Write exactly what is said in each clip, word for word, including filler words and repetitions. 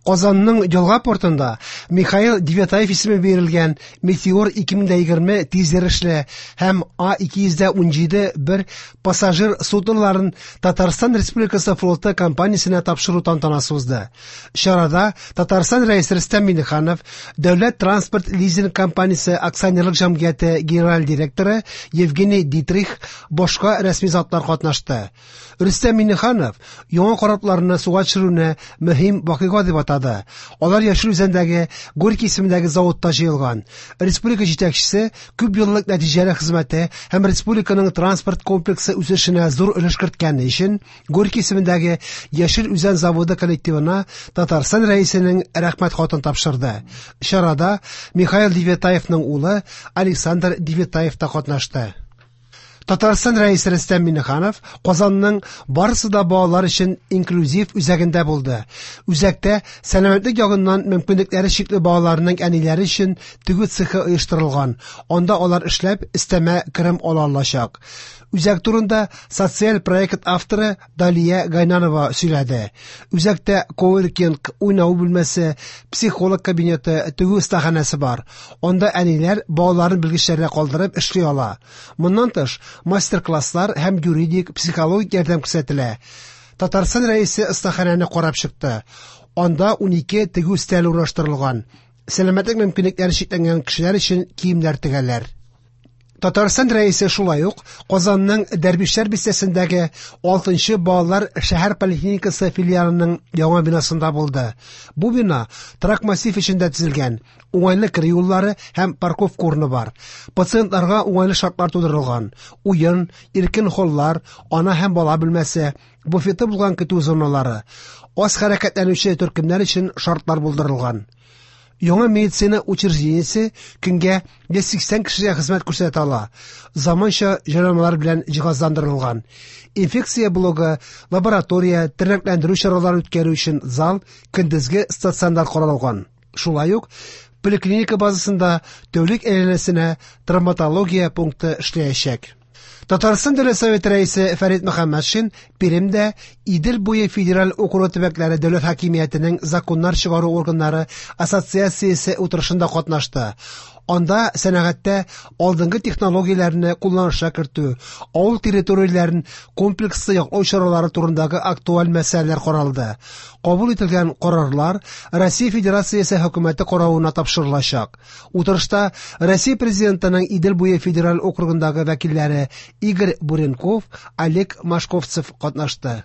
Казанның елга портында Михаил Девятаев исеме бирелгән Метеор ике мең егерме тизйөрешле һәм А ике йөз унҗиде бер пассажир судноларын Татарстан Республикасы флоты компаниясенә тапшыру тантанасы узды. Чарада Татарстан Рәисе Рөстәм Миңнеханов, Дәүләт транспорт лизинг компаниясе акционерлык җәмгыяте генераль директоры Евгений Дитрих, башка рәсми затлар катнашты. Рөстәм Миңнеханов яңа корабларны суга төшерүне мөһим вакыйга дип атады. Алар Яшел Үзәндәге Горький исемендәге заводта җыелган. Республика җитәкчесе күп еллык нәтиҗәле хезмәте һәм республиканың транспорт комплексы үсешенә зур өлеш керткәне өчен Горький исемендәге Яшел Үзән заводы коллективына Татарстан Рәисенең рәхмәт хатын тапшырды. Чарада Михаил Девятаевның улы Александр Девятаев та катнашты. Татарстан Рәисе Рөстәм Миңнеханов Казанның барысы да балалар өчен инклюзив үзәгендә булды. Үзәктә сәламәтлек ягыннан мөмкинлекләре чикле балаларның әниләре өчен тегү цехы оештырылган. Анда алар эшләп өстәмә керем ала алачак. Үзәк турында социаль проект авторы Далия Гайнанова сөйләде. Үзәктә коворкинг, уйнау бүлмәсе, психолог кабинеты, тегү остаханәсе бар. Анда әниләр балаларын белгечләргә калдырып эшли ала. Моннан тыш, мастер-класслар һәм юридик, психологик ярдәм күрсәтелә. Татарстан Рәисе остаханәне карап чыкты. Анда унике тегү өстәле урнаштырылган. Сәламәтлек мөмкинлекләре чикләнгән кешеләр өчен киемнәр тегәләр. Татарстан Рәисе шулай ук Казанның Дәрвишләр бистәсендәге алтынчы балалар шәһәр поликлиникасы филиалының яңа бинасында булды. Бу бина торак массив эчендә төзелгән. Уңайлы керү юллары һәм парковка урыны бар. Пациентларга уңайлы шартлар тудырылган. Уен, иркен холлар, ана һәм бала бүлмәсе, буфеты булган көтү зоналары, аз хәрәкәтләнүче төркемнәр өчен шартлар булдырылган. Яңа медицина учреждениесе көнгә йөз сиксән кешегә хезмәт күрсәтә ала. Заманча җайланмалар белән җиһазландырылган. Инфекция блогы, лаборатория, тернәкләндерү чаралары үткәрү өчен зал, көндезге стационар каралган. Шулай ук поликлиника базасында тәүлек әйләнәсенә травматология пункты эшләячәк. Татарстан Дәүләт Советы рәисе Фәрит Мөхәммәтшин Пермьдә Идел буе федераль округы төбәкләре дәүләт хакимиятенең законнар чыгару органнары ассоциациясе утырышында катнашты. Анда сәнәгатьтә алдынгы технологияләрне кулланышка кертү, авыл территорияләрен комплекслы яклау чаралары турындагы актуаль мәсьәләләр каралды. Кабул ителгән карарлар Россия Федерациясе хөкүмәте каравына тапшырылачак. Утырышта Россия Президентының Идел буе федераль округындагы вәкилләре Игорь Буренков, Олег Машковцев катнашты.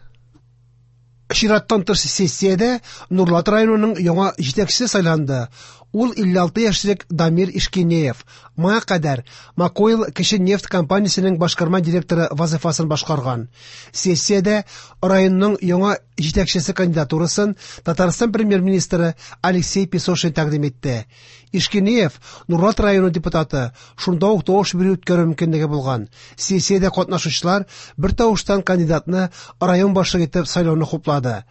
Чираттан тыш сессиядә Нурлат районының яңа җитәкчесе сайланды. Ул илле алты яшьлек Дамир Ишкинеев. Моңа кадәр Макойл кече нефть компаниясенең башкарма директоры вазифасын башкарган. Сессиядә районның яңа җитәкчесе кандидатурасын Татарстан премьер-министры Алексей Песошин тәкъдим итте. Ишкинеев Нурлат районы депутаты, шунда ук тавыш бирү үткәрү мөмкинлеге булган. Сессиядә катнашучылар бер тавыштан кандидатны район башлыгы итеп сайлауны хуплады.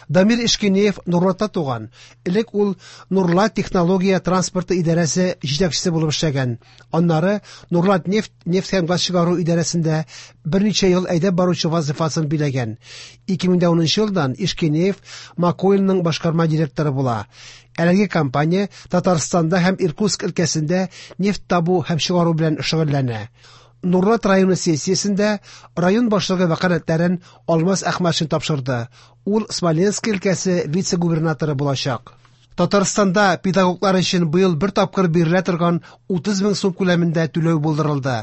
Дамир Ишкинеев Нурлатта туган. Элек ул Нурлат технология транспорты идарәсе җитәкчесе булып эшләгән. Аннары Нурлат нефть, нефть һәм газ чыгару идарәсендә берничә ел әйдәп баручы вазифасын биләгән. Ике мең унынчы елдан Ишкинеев Макойлның башкарма директоры була. Әлеге компания Татарстанда һәм Иркутск өлкәсендә нефть табу һәм чыгару белән шөгыльләнә. Нурлат районы сессиясендә район башлыгы вәкаләтләрен Алмаз Әхмәтшин тапшырды. Ул Смоленск өлкәсе вице-губернаторы булачак. Татарстанда педагоглар өчен быел бер тапкыр бирелә торган утыз мең сум күләмендә түләү булдырылды.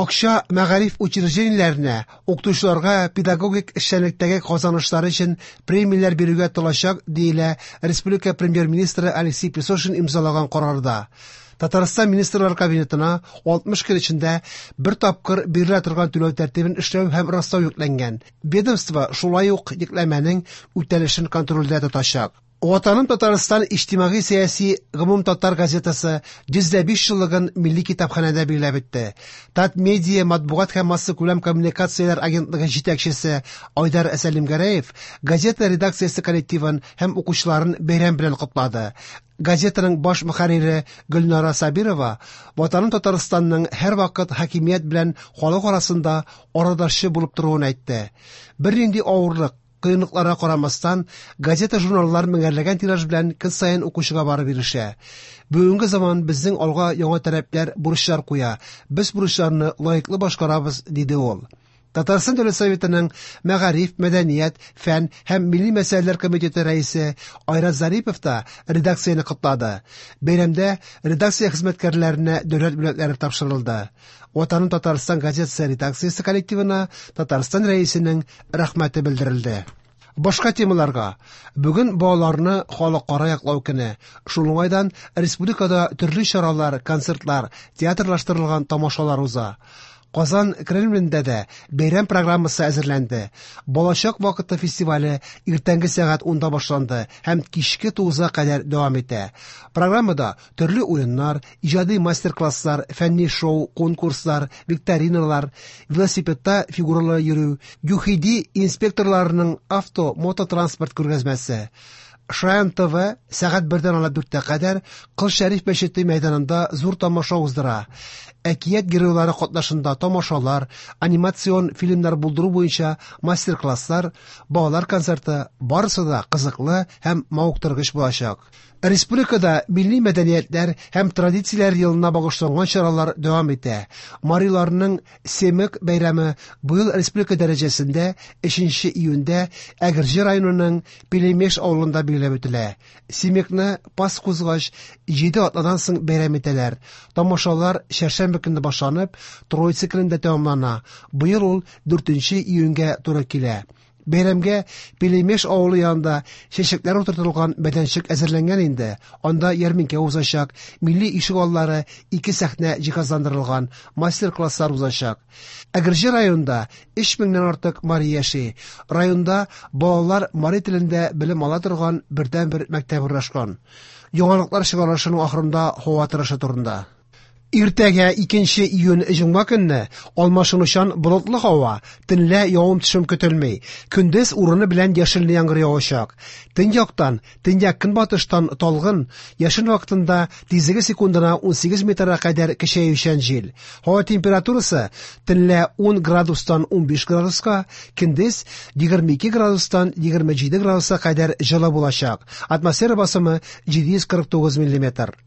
Акча мәгариф учреждениеләренә, укытучыларга педагогик эшчәнлектәге казанышлары өчен премияләр бирүгә тотылачак, диелә республика премьер-министры Алексей Песошин имзалаган карарда. Татарстан Министрлар Кабинетына алтмыш көн эчендә бер тапкыр бирелә торган түләү тәртибен эшләү һәм раслау йөкләнгән. Ведомство шулай ук йөкләмәнең үтәлешен контрольдә тотачак. Ватаным Татарстан иҗтимагый сәяси гомум татар газетасы йөз дә биш еллыгын милли китапханәдә билгеләп үтте. Татмедиа матбугат һәм массакүләм коммуникацияләр агентлыгы җитәкчесе Айдар Сәлимгәрәев газета редакциясе коллективын һәм укучыларын бәйрәм белән котлады. Газетаның баш мөхәррире Гөлнара Сабирова Ватаным Татарстанның һәрвакыт хакимият белән халык арасында арадашчы булып торуын әйтте. Бернинди авырлык, Кыенлыкларга карамастан, газета-журналлар меңәрләгән тираж белән көн саен укучыга барып ирешә. Бүгенге заман безнең алга яңа таләпләр, бурычлар куя. Без бурычларны лаеклы башкарабыз, диде ул. Татарстан Дәүләт Советының Мәгариф, мәдәният, фән һәм милли мәсьәләләр комитеты рәисе Айрат Зарипов та редакцияне котлады. Бәйрәмдә редакция хезмәткәрләренә дәүләт бүләкләре тапшырылды. Ватаным Татарстан газетасы редакциясе коллективына Татарстан Рәисенең рәхмәте белдерелде. Башка темаларга. Бүген балаларны халыкара яклау көне. Шул уңайдан республикада төрле чаралар, концертлар, театрлаштырылган тамашалар уза. Казан Кремлендә дә бәйрәм программасы әзерләнде. Балачак вакыты фестивале иртәнге сәгать унда башланды һәм кичке тугызга кадәр дәвам итә. Программада төрле уеннар, иҗади мастер-класслар, фәнни шоу, конкурслар, викториналар, велосипедта фигуралы йөрү, ЮХИДИ инспекторларының авто, мототранспорт күргәзмәсе. Шаян ТВ сәгать бердән алып дүрткә кадәр Кол Шәриф мәчете мәйданында зур тамаша уздыра. Әкият геройлары катнашында тамашалар, анимацион фильмнар булдыру буенча мастер-класслар, балалар концерты барысы да кызыклы һәм мавыктыргыч булачак. Республикада милли мәдәниятләр һәм традицияләр елына багышланган чаралар дәвам итә. Мариларның Семык бәйрәме быел республика дәрәҗәсендә өченче июньдә Әгерҗе районының Пелемеш авылында билгеләп үтелә. Семыкны пас кузгач җиде атнадан соң бәйрәм итәләр. Тамашалар чәршәмбе көнне башланып, Троица көнендә тәмамлана. Быел ул дүртенче июньгә туры килә. Бәйрәмгә Пелемеш авылы янында чәчәкләр утыртылган мәйданчык әзерләнгән инде. Анда ярминкә узачак, милли ишек аллары, ике сәхнә җиһазландырылган, мастер-класслар узачак. Әгерҗе районында өч меңнән артык мари яши. Районда балалар мари телендә белем ала торган бердәнбер мәктәп урнашкан. Яңалыклар чыгарылышының ахырында һава торышы турында. Иртәгә икенче июнь җомга көнне алмашынучан болытлы һава, төнлә явым-төшем көтелми. Көндез урыны белән яшенле яңгыр явачак. Төньяктан, төньяк көнбатыштан талгын, яшен вакытында тизлеге секундына ун сигез метрга кадәр көчәючән җил. Һава температурасы төнлә ун градустан ун биш градуска, көндез егерме ике градустан егерме җиде градуска кадәр җылы булачак. Атмосфера басымы җиде йөз кырык тугыз миллиметр.